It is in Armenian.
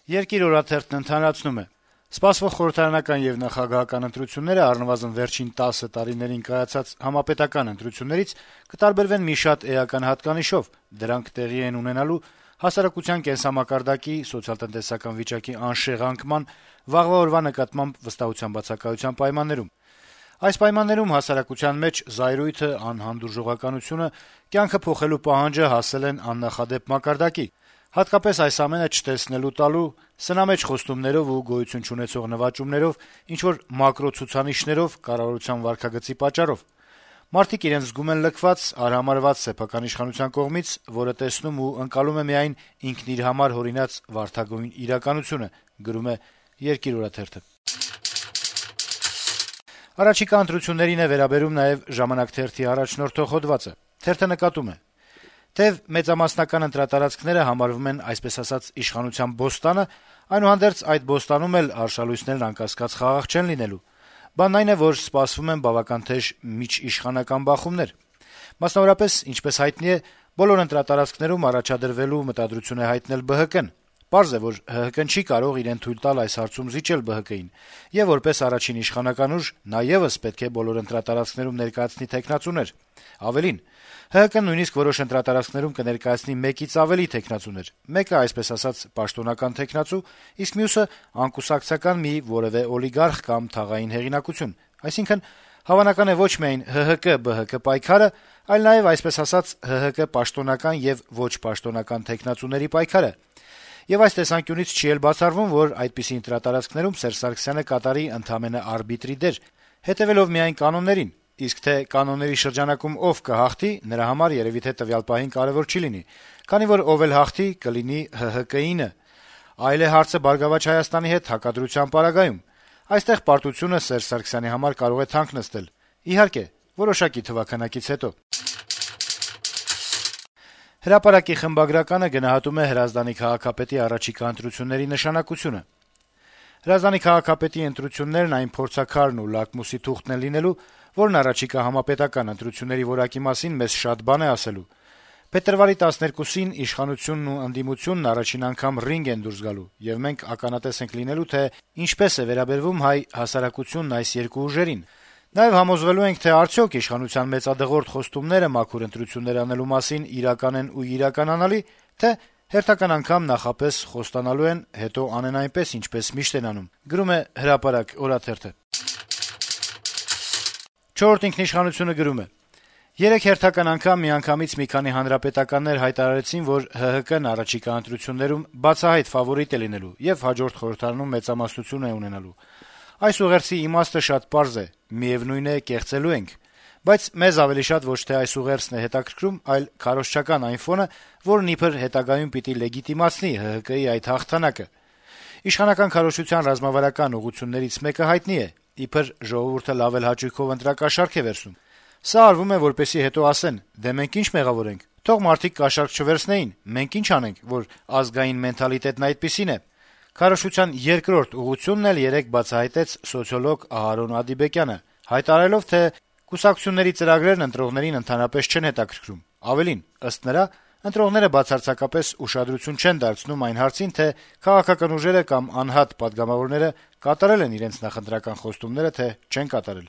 Երկիր օրաթերթն ընդհանրացնում է. Սպասվող խորհրդարանական եւ նախագահական ընտրությունները առնվազն վերջին 10 տարիներին կայացած համապետական ընտրություններից կտարբերվեն մի շատ էական հատկանիշով. դրանք տեղի են ունենալու հասարակության կենսամակարդակի, սոցիալ-տնտեսական վիճակի անշեղ անկման, վաղվա օրվա նկատմամբ վստահության բացակայության պայմաններում։ Այս պայմաններում հասարակության մեջ զայրույթը, անհանդուրժողականությունը, կյանքը փոխելու պահանջը հասել են աննախադեպ մակարդակի։ Հատկապես այս ամենը չտեսնելու տալու, սնամեջ խոստումներով ու գոյություն չունեցող նվաճումներով, ինչ-որ մակրո ցուցանիշներով, կառավարության վարքագծի պատճառով։ Մարդիկ իրենց զգում են լքված, արհամարհված սեփական իշխանության կողմից, որը տեսնում ու ընկալում է միայն ինքն իր համար հորինած վարդագույն իրականությունը, գրում է Երկիր օրաթերթը։ Առաջիկա ընտրություններին է վերաբերում նաև «Ժամանակ» թերթի առաջնորդող հոդվածը։ Թերթը նկատում է. թեև մեծամասնական ընտրատարածքները համարվում են այսպես ասած իշխանության բոստանը, այնուհանդերձ այդ բոստանում էլ արշալույսներն անկասկած խաղաղ չեն լինելու։ Բանն այն է, որ սպասվում են բավական թեժ միջիշխանական բախումներ։ Մասնավորապես, ինչպես հայտնի է, բոլոր ընտրատարածքներում առաջադրվելու մտադրություն է հայտնել ԲՀԿ-ն։ Պարզ է, որ ՀՀԿ-ն չի կարող իրեն թույլ տալ այս հարցում զիջել ԲՀԿ-ին, եւ որպես առաջին իշխանական ուժ նա եւս պետք է բոլոր ընտրատարածքներում ներկայացնի թեկնածուներ։ Ավելին, ՀՀԿ-ն նույնիսկ որոշ ընտրատարածքներում կներկայացնի 1-ից ավելի թեկնածուներ, մեկը այսպես ասած պաշտոնական թեկնածու, իսկ մյուսը անկուսակցական մի որեւէ օլիգարխ կամ թաղային հեղինակություն։ Այսինքն, հավանական է ոչ միայն ՀՀԿ-ԲՀԿ պայքարը, այլ նաեւ այսպես ասած ՀՀԿ պաշտոնական եւ ոչ պաշտոնական թեկնածուների պայքարը։ Եվ այս տեսանկյունից չի էլ բացառվում, որ այդպիսի ընտրատարածքներում Սերժ Սարգսյանը կատարի ընդամենը արբիտրի դեր, հետեւելով միայն կանոններին, իսկ թե կանոնների շրջանակում ով կհաղթի, նրա համար երեւի թե տվյալ պահին կարեւոր չի լինի, քանի որ ով էլ հաղթի, կլինի ՀՀԿ-ինը։ Այլ է հարցը «Բարգավաճ Հայաստանի» հետ հակադրության պարագայում։ Այստեղ պարտությունը Սերժ Սարգսյանի համար կարող է թանկ նստել, իհարկե, որոշակի թվաքանակից հետո։ Հրապարակի խմբագրականը գնահատում է Հրազդանի քաղաքապետի առաջիկա ընտրությունների նշանակությունը։ Հրազդանի քաղաքապետի ընտրություններն այն փորձաքարն ու լակմուսի թուղթն են լինելու, որն առաջիկա համապետական ընտրությունների որակի մասին մեզ շատ բան է ասելու։ Փետրվարի 12-ին իշխանությունն ու ընդդիմությունն առաջին անգամ ռինգ են դուրս գալու, եւ մենք ականատես ենք լինելու, թե ինչպես է վերաբերվում հայ հասարակությունն այս երկու ուժերին։ Նաեւ համոզվելու ենք, թե արդյոք իշխանության մեծադղորդ խոստումները մաքուր ընտրություններ անելու մասին իրական են ու իրականանալի, թե հերթական անգամ նախապես խոստանալու են, հետո անեն այնպես, ինչպես միշտ են անում, գրում է Հրապարակ օրաթերթը։ Չորրորդ ինքնիշխանությունը գրում է. Երեք հերթական անգամ միանգամից մի քանի հանրապետականներ հայտարարեցին, որ ՀՀԿ-ն առաջիկա ընտրություններում բացահայտ ֆավորիտ է լինելու եւ հաջորդ խորհրդարանում մեծամասնություն է ունենալու։ Այս ուղերձի իմաստը շատ պարզ է, միեւնույն է, կեղծելու ենք, բայց մեզ ավելի շատ ոչ թե այս ուղերձն է հետաքրքրում, այլ քարոզչական այն ֆոնը, որն իբր հետագայում պիտի լեգիտիմացնի ՀՀԿ-ի այդ հաղթանակը։ Իշխանական քարոզչության ռազմավարական ուղղություններից մեկը հայտնի է, իբր ժողովուրդը լավ էլ հաճույքով ընտրակաշառք է վերցնում։ Սա արվում է, որպեսզի հետո ասեն. «Դե մենք ինչ մեղավոր ենք, թող մարդիկ կաշառք չվերցնեին, մենք ինչ անենք, որ ազգային մենթալիտետն այդպիսին է»։ Քարոզչության երկրորդ ուղղությունն էլ երեկ բացահայտեց սոցիոլոգ Ահարոն Ադիբեկյանը, հայտարարելով, թե կուսակցությունների ծրագրերն ընտրողներին ընդհանրապես չեն հետաքրքրում։ Ավելին, ըստ նրա, ընտրողները բացարձակապես ուշադրություն չեն դարձնում այն հարցին, թե քաղաքական ուժերը կամ անհատ պատգամավորները կատարել են իրենց նախընտրական խոստումները, թե չեն կատարել։